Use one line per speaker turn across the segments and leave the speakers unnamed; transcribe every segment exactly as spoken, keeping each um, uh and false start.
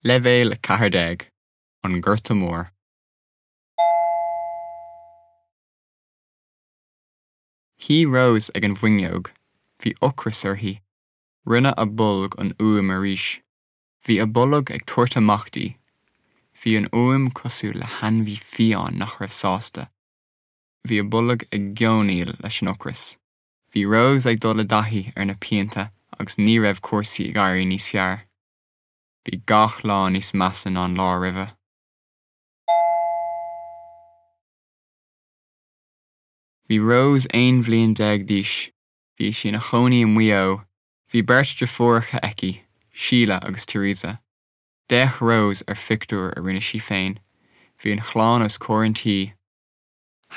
Leibhéal a ceathair déag, An Gorta Mór. Shuigh Rose ag an bhfuinneog. Bhí ocras uirthi. Rinne a bolg an fhuaim arís. Bhí a bolg ag tabhairt amach di. Bhí an fhuaim cosúil le hainmhí fiáin nach raibh sásta. Bhí a bolg ag geonaíl leis an ocras. Bhí Rose ag dul i dtaithí ar na pianta agus ní raibh cúrsaí ag éirí níos fearr. Bhí gach lá níos measa ná an lá roimhe. Bhí Rose aon bhliain déag d'aois. Bhí sí ina cónaí i Maigh Eo. Bhí beirt deirfiúracha aici, Síle agus Teresa. D'fhéach Rose ar phictiúr a rinne sí féin. Bhí an chlann os comhair an tí.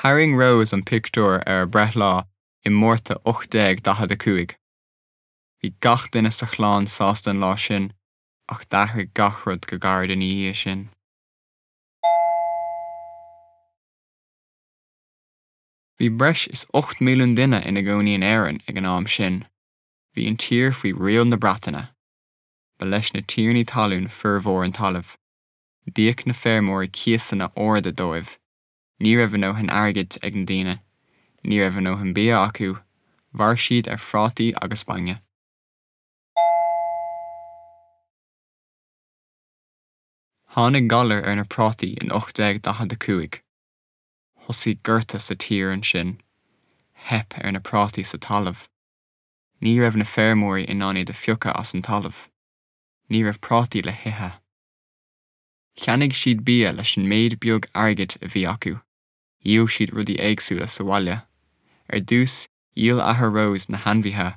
Tharraing Rose an pictiúr ar a breithlá i Márta ocht déag daichead a cúig. Bhí gach duine sa chlann sásta an lá sin, ach d'athraigh gach rud go gairid ina dhiaidh sin. Bhí breis is ocht milliún duine ina gcónaí in Éirinn ag an am sin. Bhí an tír faoi riail na Breataine. Ba leis na tiarnaí talún formhór an talaimh. D'íoc na feirmeoirí cíosanna arda dóibh. Ní raibh a ndóthain airgid ag na daoine. Ní raibh a ndóthain bia acu. Mhair siad ar phrátaí agus bainne. Tháinig galar ar na prátaí in ocht déag daichead a cúig. Thosaigh gorta sa tír ansin. Theip ar na prátaí sa talamh. Ní raibh na feirmeoirí in ann iad a phiocadh as an talamh. Ní raibh prátaí le hithe. Cheannaigh siad bia leis an méid beag airgid a bhí acu. Dhíol siad rudaí éagsúla sa bhaile. Ar dtús, dhíol athair Rose na hainmhithe.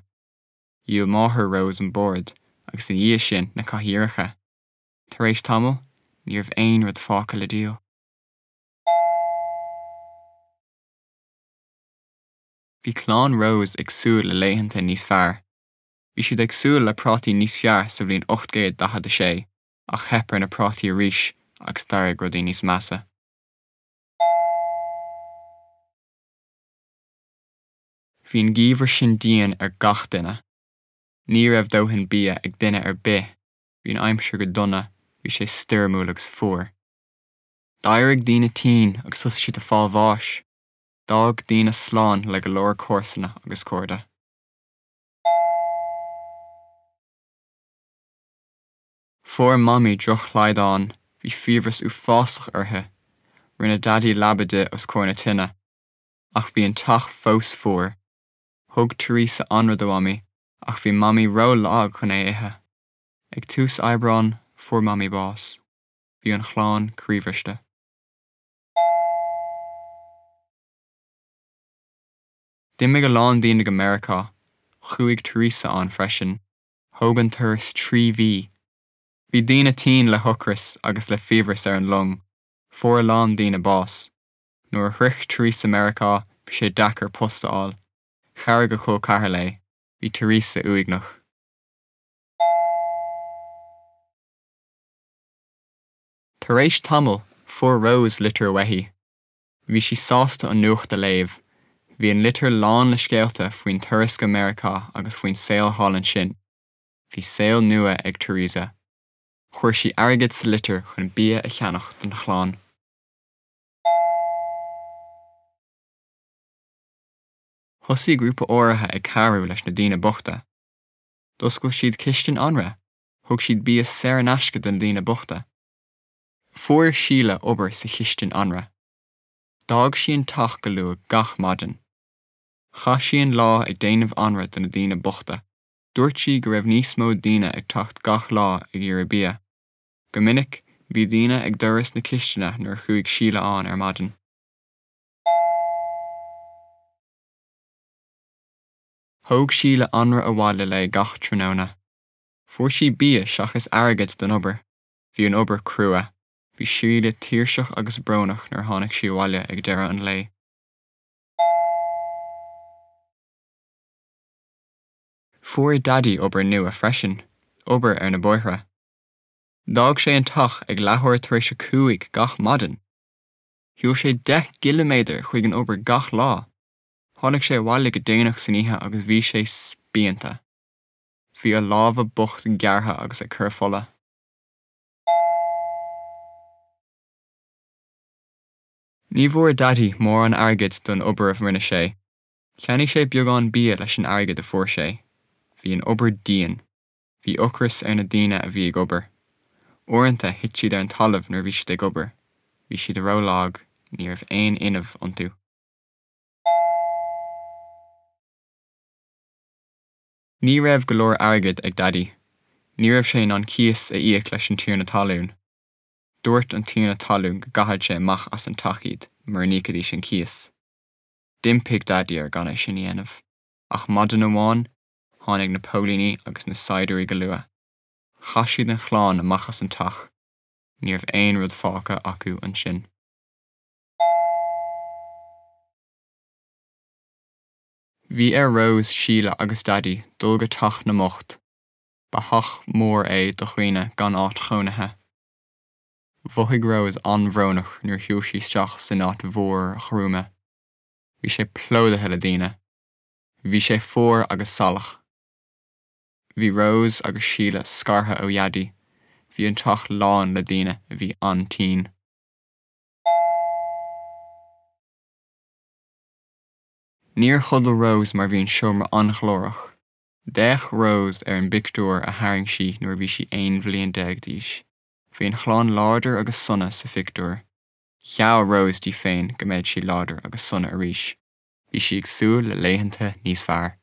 Dhíol máthair Rose an bord, agus ina dhiaidh sin na cathaoireacha. Tar éis tamaill, ní raibh aon rud fágtha le díol. Bhí clann Rose ag súil le laethanta níos fearr. Bhí siad ag súil le prátaí níos fearr sa bhliain ocht gcéad daichead a sé, ach theip ar na prátaí arís agus d'éirigh rudaí níos measa. Bhí an geimhreadh sin dian ar gach duine. Ní raibh dóthain bia ag duine ar bith. Bhí an aimsir go dona, bhí sé stoirmiúil agus fuar. D'éirigh daoine tinn agus thosaigh siad ag fáil bháis. D'fhág daoine slán le go leor comharsana agus cairde. Fuair Mamaí drochshlaghdán, bhí fiabhras uafásach uirthi. Rinne Daidí leaba di os comhair na tine. Ach bhí an teach fós fuar. Thug Teresa anraith do Mhamaí, ach bhí Mamaí ró-lag chun é a ithe. Ag tús Aibreáin, fuair Mamaí bás. Bhí an chlann croíbhriste. D'imigh a lán daoine go Meiriceá. Chuaigh Teresa ann freisin. Thóg an turas trí mhí. Bhí daoine tinn le hocras agus le fiabhras ar an long. Fuair a lán daoine bás. Nuair a shroich Teresa Meiriceá, bhí sé deacair post a fháil. Chabhraigh a col ceathar léi. Bhí Teresa uaigneach. Tar éis tamaill, fuair Rose litir uaithi. Bhí sí sásta an nuacht a léamh. Bhí an litir lán le scéalta faoin turas go Meiriceá agus faoin saol thall ansin. Bhí saol nua ag Teresa. Chuir sí airgead sa litir chun bia a cheannach don chlann. Thosaigh grúpa áirithe ag cabhrú leis na daoine bochta. D'oscail siad cistin anraith. Thug siad bia saor in aisce do na daoine bochta. Fuair Síle obair sa chistin anraith. D'fhág sí an teach go luath gach maidin. Chaith sí an lá ag déanamh anraith do na daoine bochta. Dúirt sí go raibh níos mó daoine ag teacht gach lá ag iarraidh bia. Go minic, bhí daoine ag doras na cistine nuair a chuaigh Síle ann ar maidin. Thóg Síle anraith abhaile léi gach tráthnóna. Fuair sí bia seachas airgead don obair. Bhí an obair crua. Bhí Síle tuirseach agus brónach nuair a tháinig sí abhaile ag deireadh an lae. Fuair Daidí obair nua freisin, obair ar na bóithre. D'fhág sé an teach ag leathuair tar éis a cúig gach maidin. Shiúil sé deich gciliméadar chuig an obair gach lá. Tháinig sé abhaile go déanach san oíche agus bhí sé spíonta. Bhí a lámha bocht gearrtha agus ag cur fola. Ní bhfuair Daidí mórán airgid don obair a rinne sé. Cheannaigh sé beagán bia leis an airgead a fuair sé. Bhí an obair dian. Bhí ocras ar na daoine a bhí ag obair. Uaireanta thit siad ar an talamh nuair a bhí siad ag obair. Bhí siad rólag, ní raibh aon fhuinneamh iontu. Ní raibh go leor airgid ag Daidí. Ní raibh sé in ann cíos a íoc leis an tiarna talún. Dúirt an tiarna talún go gcaithfeadh sé amach as an teach iad mura n-íocfaidís an cíos. D'impigh Daidí air gan é sin a dhéanamh. Ach maidin amháin tháinig na póilíní agus na saighdiúirí go luath. Chaith siad an chlann amach as an teach. Ní raibh aon rud fágtha acu ansin. Bhí ar Rose, Síle agus Daidí dul go teach na mbocht. Ba theach mór é do dhaoine gan áit chónaithe. Mhothaigh Rose an-bhrónach nuair a shiúil sí isteach san áit mhór ghruama. Bhí sé plódaithe le daoine. Bhí sé fuar agus salach. Bhí Rose agus Síle scartha ó Dhaidí. Bhí an teach lán le daoine a bhí an-tinn. Níor chodail Rose mar bhí an seomra an-ghlórach. D'fhéach Rose ar an bpictiúr a tharraing sí nuair a bhí sí aon bhliain déag d'aois. Bhí an chlann láidir agus sona sa phictiúr. Gheall Rose di féin go mbeadh sí láidir agus sona arís. Bhí sí ag súil le laethanta níos fearr.